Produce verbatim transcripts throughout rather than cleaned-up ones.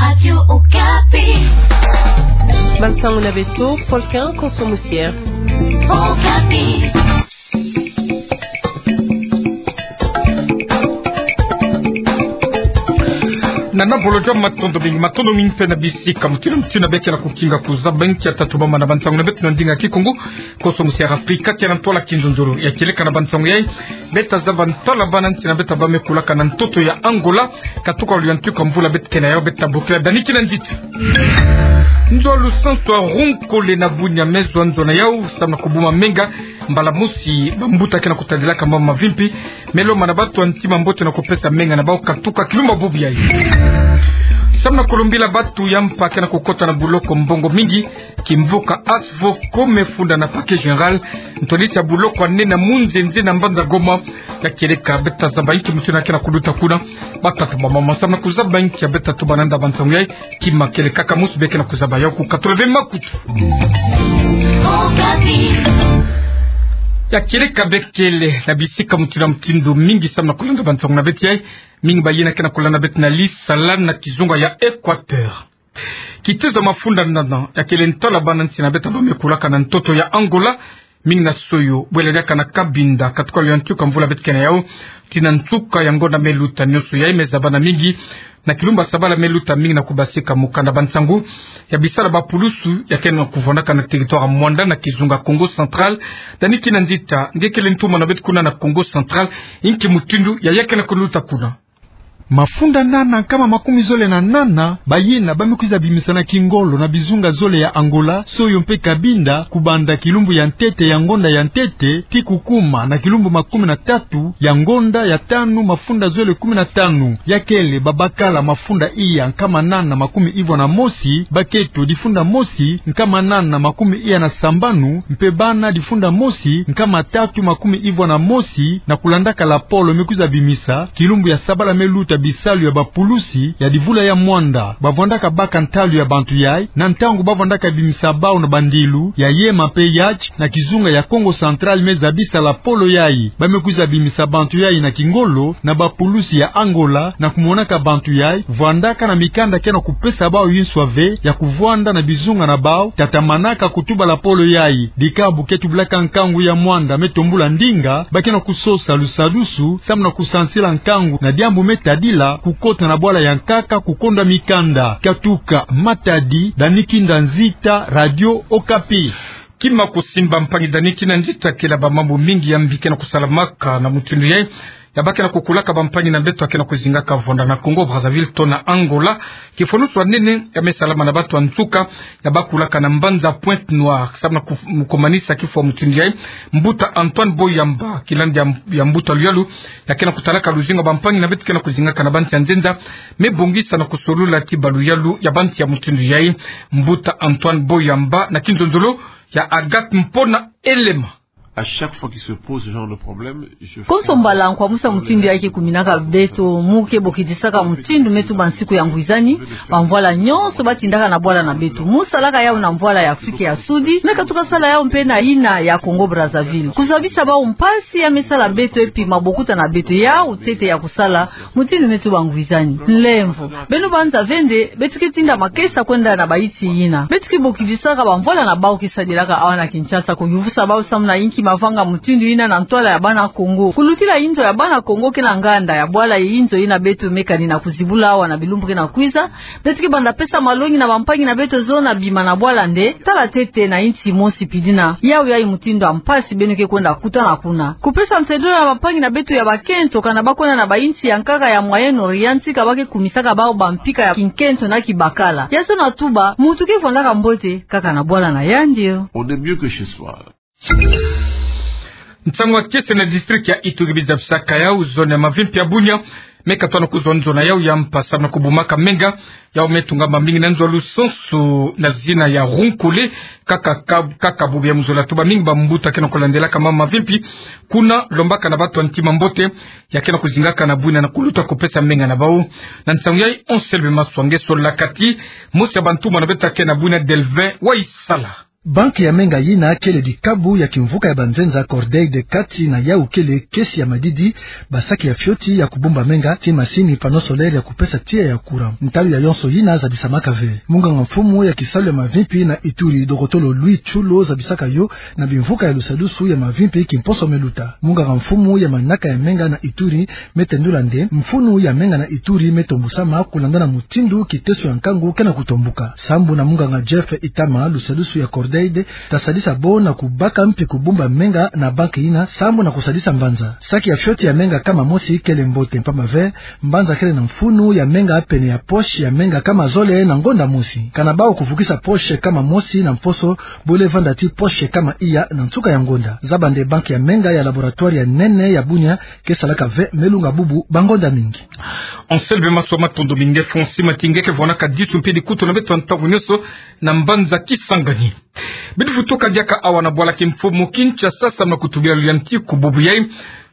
Radio Okapi. Bansango na beto, Paul Quin Konso Musia. Okapi. Na nabolo jwa matondo mingi, matondo mingi mpe na bisika mutindu mutindu beke na kukinga kuzaba nki ya tatu bama na bansango na beto na ndinga Kikongo. Konso Musia Afrika, kena ntwala kinzonzolo ya kieleka na bansango yai. Beta zaba ntwala bana nsi na beta bame kulaka na ntoto ya Angola. Katuka luyantika mvula beta kena yau, beta bokila dani kina nzita. Nzo lusansu ya Roncole na Bunia me zwa nzo na yau, samu na kubuma menga. Mbala mosi bambuta kena kutadilaka mama mavimpi. Me lomba na batu ya ntima mbote na kupesa menga na bau katuka kilumbu bubu yai. Samu na kulumbila batu ya mpa kena kukota na buloko mbongo mingi. Kimvuka Asvoko me funda na Parquet Général, ntwala tia buloko ya nene mu nzenze na mbanza Goma. Ya kieleka beta zaba nki mutindu kena kuluta kuna. Batata bamama, samu na kuzaba nki ya beta tuba na nda bansango yai, kima kieleka ka mosi beke na kuzaba yau ku quatre-vingts makutu. Ya kieleka bekele na bisika mutindu na mutindu mingi samu na kulanda bansango na beto yai. Mingi bayina kena kulanda beto na Lisala na kizunga ya Équateur. Kitezo mafunda nana, ya kele ntwala bana nsi na beta bame kulaka na ntoto ya Angola. Mingi na soyo, bwela diaka na Cabinda, katuka luyantika mvula beta kena yau. Tii na nsuka ya ngonda me luta, nionso yai me zaba na mingi. Na kilumbu ya sabala me luta mingi na kubasika mukanda bansango ya bisala bapulusu ya kena kuvwandaka na territoire Muanda na kizunga Kongo Central. Dani kina nzita, nge kele ntuma na beto kuna na Kongo Central, nki mutindu ya ya kena kuluta kuna. Mafunda nana nkama makumi zole na nana bayina bame kwiza bimisa na kingolo na bizunga zole ya Angola, soyo mpe Cabinda, kubanda kilumbu ya ntete ya ngonda ya ntete tii kukuma na kilumbu makumi na tatu ya ngonda ya tanu mafunda zole kumi na tanu. Ya kele babakala mafunda iya nkama nana makumi ivwa na mosi, baketo difunda mosi nkama nana makumi iya na sambanu, mpe bana difunda mosi nkama tatu makumi ivwa na mosi, na kulandaka lapolo me kwiza bimisa kilumbu ya sabala me luta bisalu ya bapulusi ya divula ya Muanda. Bavwandaka baka ntalu ya bantu yai na ntangu bavwandaka bimisa bau na bandilu ya yema mpe yatch na kizunga ya Kongo Central me zabisa lapolo yai. Bame kwiza bimisa bantu yai na kingolo na bapulusi ya Angola, na kumonaka bantu yai vwandaka na mikanda kena kupesa bau yinswa ve ya kuvwanda na bizunga na bau, tatamanaka kutuba lapolo yai. Dikabu ke tubilaka nkangu ya Muanda me tombula ndinga, ba kena kusosa lusadusu samu na kusansila nkangu na diambu me tadila kukota na bwala ya nkaka kukonda mikanda. Katuka Matadi, Dani Kinda Nzita, Radio Okapi. Kima kusimba mpangi Dani Kina Nzita, kela bamambu mingi ya mbi kena kusalamaka na mutindu yai, ya ba kena kukulaka bampangi na beto ya kena kuzingaka vwanda na Congo Brazzaville to na Angola. Kifwanusu ya nene ya me salama na bato ya nsuka ya ba kulaka na mbanza Pointe-Noire, samu na ku-, kumanisa kifwa mutindu yai. Mbuta Antoine Boyamba, kilandi ya, ya mbuta luyalu, ya kena kutalaka luzingu ya bampangi na beto kena kuzingaka na bansi ya nzenza, me bongisa na kusolula kibaluyalu ya bansi ya mutindu yai. Mbuta Antoine Boyamba na kinzonzolo ya Agathe Mpona Elema. À chaque fois qu'il se pose ce genre de problème, je fais... Konso mbala nkwamusa mutindu yai ke kuminaka beto, mu ke bokidisaka mutindu me tuba nsiku ya ngwizani, bamvwala nyonso ba tindaka na bwala na beto. Mu salaka yau na mvwala ya Afrika ya Sudi, me katuka sala yau mpe na yina ya Congo Brazzaville. Kuzabisa bau mpasi ya me sala beto epi mabokuta na beto yau ntete ya kusala mutindu me tuba ngwizani. Nlemvo. Beno banza ve nde, beto ke tinda makesa kwenda na bayinsi yina. Beto ke bokidisaka bamvwala na bau ke sadilaka awa na Kinshasa, kuyuvusa bau samu na yinki mavanga mutindu yina na ntwala ya bana Congo. Kulutila inzo ya bana Congo ke na nganda ya bwala ye inzo yina beto me kani na kuzibula awa na bilumbu ke na kwiza, beto ke banda pesa malongi na bampangi na beto zo na bima na bwala nde, tala ntete na yinsi mosi pidina. Yau yai mutindu ya mpasi beno ke kwenda kutana kuna. Kupesa nsedolo na bampangi na beto ya bakento kana ba kwenda na bayinsi ya nkaka ya Moyen-Orient, tika ba ke kumisaka bau bampika ya kinkento na kibakala. Ya zona tuba, muntu ke vwandaka mbote kaka na bwala na yandi. On est mieux que chez soi. Nsangu ya kiese na district ya Ituri, biza bisaka yau zone ya mavimpi ya Bunia, me katwana kuzwa nzo na yau ya mpa samu na kubumaka menga. Yau me tungama mingi na nzo ya lusansu na zina ya Runkule, kaka, kaka, kaka bubu ya muzola tuba mingi bambuta kena kulandelaka mama mavimpi kuna, lombaka na bato ya ntima mbote ya kena kuzingaka na bwina na kuluta kupesa menga na bau. Na nsangu yai, Anselme Maswa nge solaka ti mosi ya bantumwa na beto ya kena bwina, Delvin Waisala. Banque ya menga yina kele dikabu ya kimvuka ya banzenza Cordaid kati na yau kele kesi ya madidi, basaki ya fioti ya kubumba menga, tii masini panneau solaire ya kupesa tiya ya courant. Ntalu ya yonso yina zabisamaka ve. Munganga mfumu ya kisalu ya mavimpi na Ituri, dokotolo Louis Tshulo, zabisaka yo na bimvuka ya lusadusu ya mavimpi kimposo meluta. Munganga mfumu ya manaka ya menga na Ituri me tendula nde mfunu ya menga na Ituri me tombusama kulanda na mutindu kiteso ya nkangu ke na kutombuka. Sambu na munganga Jeff Itama, lusadusu ya Cordaid ta sadisa bo na kubaka mpi kubumba menga na banque yina sambu na kusadisa mbanza. Saki ya fioti ya menga kama mosi kele mbote, mpamba ve mbanza kele na mfunu ya menga pene ya poche ya menga kama zole na ngonda mosi. Kana bau kuvukisa poche kama mosi na mposo, bole vanda tii poche kama iya na nsuka ya ngonda. Zaba nde banque ya menga ya laboratoire ya nene ya Bunia ke salaka ve me lunga bubu bangonda mingi. Anselme Maswa, matondo mingi. Francis Matinge ke vwanaka disu mpe dikutu na beto ntangu nionso na mbanza Kisangani. Beto vutuka diaka awa na bwala kimfumu Kinshasa samu na kutubila luyantiku bubu yai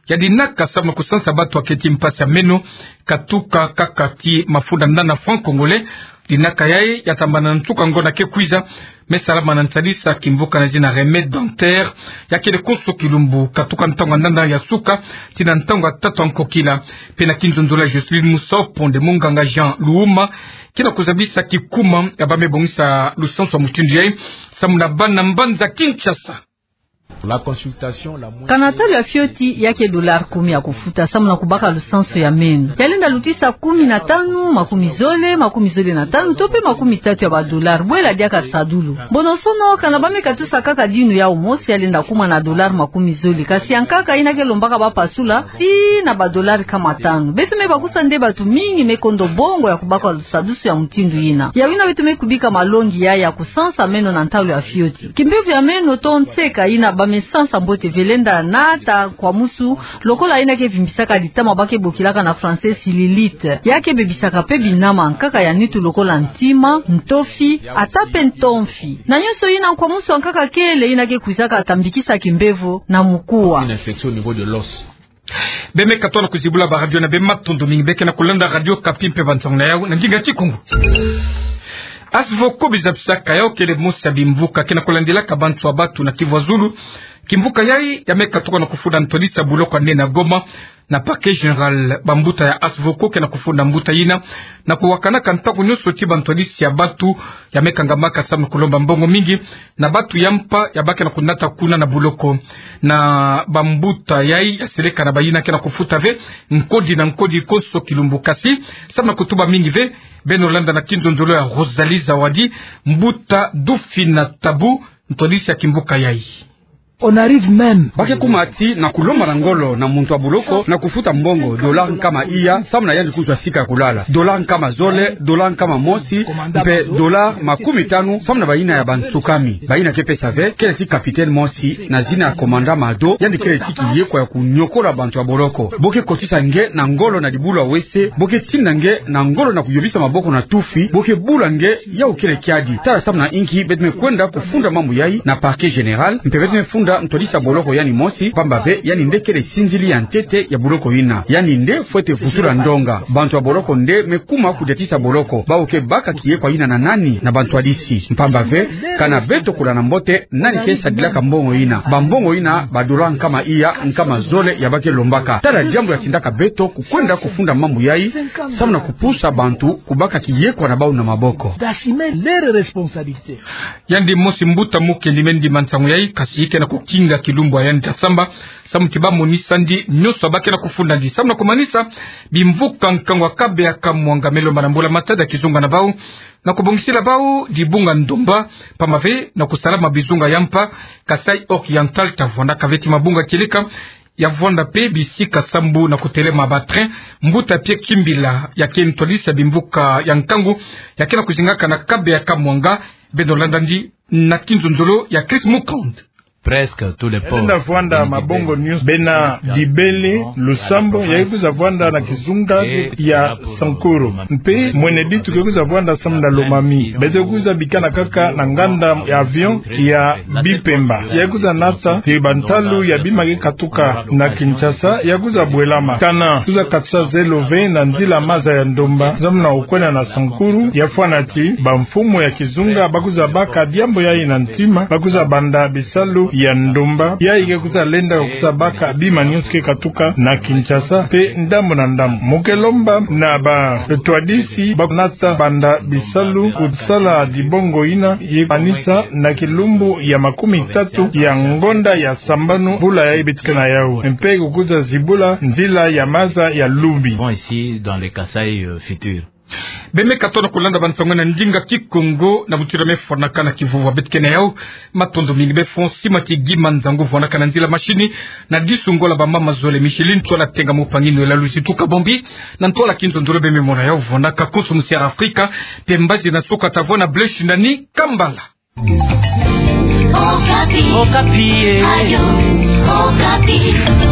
ya dinaka samu na kusansa batu ya keti mpasi ya meno, katuka kaka tii mafunda ndanda franc congolais. Dinaka yai ya tambana na nsuka ngonda ke kwiza, me salama na ntadisa kimvuka na zina Remède Dentaire, ya kele konso kilumbu, katuka ntangu ya ndanda ya suka tii na ntangu ya tatu ya nkokila. Mpe na kinzonzolo ya Jocelyn Musopo, nde munganga Jean Luuma ke na kuzabisa kikuma ya ba me bongisa lusansu ya mutindu yai samu na bana mbanza Kinshasa. La consultation la moins... Kana ntalu ya fioti ya ke dollar kumi ya kufuta samu na kubaka lusansu ya meno. Ya lenda lutisa kumi na tanu, makumi zole, makumi zole na tanu, to mpe makumi tatu ya ba dollar, bwela diaka nsadulu. Mbonosono, kana ba me katusa kaka dinu yau mosi, ya lenda kuma na dollar makumi zole. Kasi ya nkaka yina ke lombaka ba pasula, tii na ba dollar kama tanu. Beto me bakusa nde batu mingi me kondo bongo ya kubaka lusadusu ya mutindu yina. Yau yina beto me kubika malongi ya, ya kusansa meno na ntalu ya fioti. Kimbevo ya meno to nseka yina ba me sansa mbote ve lenda nata nkwamusu, lokola yina ke vimbisaka ditama ba ke bokilaka na français cellulite. Ya ke bebisaka mpe binama ya nkaka ya nitu lokola ntima, ntofi, ata mpe ntomfi. Na nionso yina, nkwamusu ya nkaka kele yina ke kwizaka tambikisa kimbevo na mukuwa. Une infection au niveau de l'os. Be me katuka na kuzibula ba radio na be, matondo mingi. Be ke na kulanda Radio Okapi mpe bansangu na yau na ndinga Kikongo. Asvoko, bizabisaka yau, kele mosi ya bimvuka ke na kulandilaka bantu ya batu na Kivu ya Zulu. Kimvuka yai ya me katuka na kufunda ntwadisi ya buloko ya nene ya Goma na Parquet Général. Bambuta ya Asvoko ke na kufunda mbuta yina na kuwakanaka ntangu nionso tii bantwadisi ya batu ya me kangamaka samu na kulomba mbongo mingi na batu ya mpa ya ba ke na kunata kuna na buloko. Na bambuta yai ya seleka na bayina ke na kufuta ve nkodi na nkodi konso kilumbu, kasi samu na kutuba mingi ve. Beno landa na kinzonzolo ya Rosalie Zawadi, mbuta Dufina Tabu, ntwadisi ya kimvuka yai. On arrive même. Ba ke kuma tii na kulomba na ngolo na muntu ya buloko na kufuta mbongo dollar nkama iya samu na yandi kuzwa sika ya kulala, dollar nkama zole, dollar nkama mosi, mpe dollar makumi tanu samu na bayina ya bansukami. Bayina ke pesa ve kele tii capitaine mosi na zina ya commandant Mado, yandi kele tii kiyekwa ya kunyokola bantu ya boloko. Bo ke kotisa nge na ngolo na dibulu ya wese, bo ke tinda nge na ngolo na kuyobisa maboko na tufi, bo ke bula nge, yau kele kiadi. Tala samu na inki beto me kwenda kufunda mambu yai na Parquet Général, mpe beto me funda ntwadisi ya boloko yandi mosi, mpamba ve yandi nde kele sinzili ya ntete ya buloko yina. Yandi nde fwete vutula ndonga. Bantu ya boloko nde me kuma kudiatisa boloko. Bau ke baka kiyekwa yina na nani? Na bantwadisi. Mpamba ve, kana beto kulanda mbote nani ke sadilaka mbongo yina. Bambongo yina, ba dollar nkama iya, nkama zole ya ba ke lombaka. Tala diambu ya tindaka beto kukwenda kufunda mambu yai, samu na kupusa bantu kubaka kiyekwa na bau na maboko. D'assumer leurs responsabilités. Yandi mosi mbuta mukendi me ndima nsangu yai, kasi ke na kukinga kilumbu ya yandi ya samba, samu ti ba monisa ndi nionso ya ba ke na kufunda ndi. Samu na kumanisa, bimvuka nkangu ya Kabeya Kamwanga me lomba na mbula matadi ya kizunga na bau na kubongisila bau dibunga ndomba, mpamba ve na kusalama bizunga ya mpa, Kasaï Oriental ta vwandaka ve tii mabunga kieleka, ya vwanda mpe bisika sambu na kutelema ba train. Mbuta Pierre Kimbila, ya ke ntwadisi ya bimvuka ya nkangu ya ke na kuzingaka na Kabeya Kamwanga, beno landa ndi na kinzonzolo ya Chris Mukand. Presque tous les ports. Enda vwanda mabongo nyonso. Bena Dibele, Lusambo, ya kwiza vwanda na kizunga ya Sankuru. Mpe Mwene Ditu ke kwiza vwanda samu na Lomami. Beto kwiza bikana kaka na nganda ya avion ya Bipemba. Ya kwiza nata ti bantalu ya bima ke katuka na Kinshasa, ya kwiza bwelama. Kana, kwiza katisa zelo ve na nzila maza ya ndomba, samu na kwenda na Sankuru, ya fwana ti, bamfumu ya kizunga, ba kwiza baka diambu yayi na ntima, ba kwiza banda bisalu ya ndomba, yayi ke kwiza lenda kwiza baka bima nyonso ke katuka na Kinshasa, mpe ndambu na ndambu. Mu ke lomba na batwadisi, ba nata banda bisalu kusala dibongo yina, ye kanisa na kilumbu ya makumi tatu ya ngonda ya sambanu, mbula yayi beto ke na yawu. Mpe kukwiza zibula nzila ya maza ya Lubi. Bon, ici, dans les Kasaï, euh, futurs. Beno me katono kulanda bansango na ndinga Kikongo na butira me fwanaka na kivuvu beto ke na yawu. Matondo mingi be Fonsi Makigi Manzangu vwanaka na nzila machine, na disu ngolo ba mama zole Micheline, ntwala Tenga Mupangi, Noëlla Luzi Tuka Bombi, na ntwala Kinzonzolo beno me mona yawu vwanaka konso mu Sierra Africa, mpe mbazi na suka tavona Blaise Shindani, Kambala. Okapi. Okapi, eh. Radio Okapi.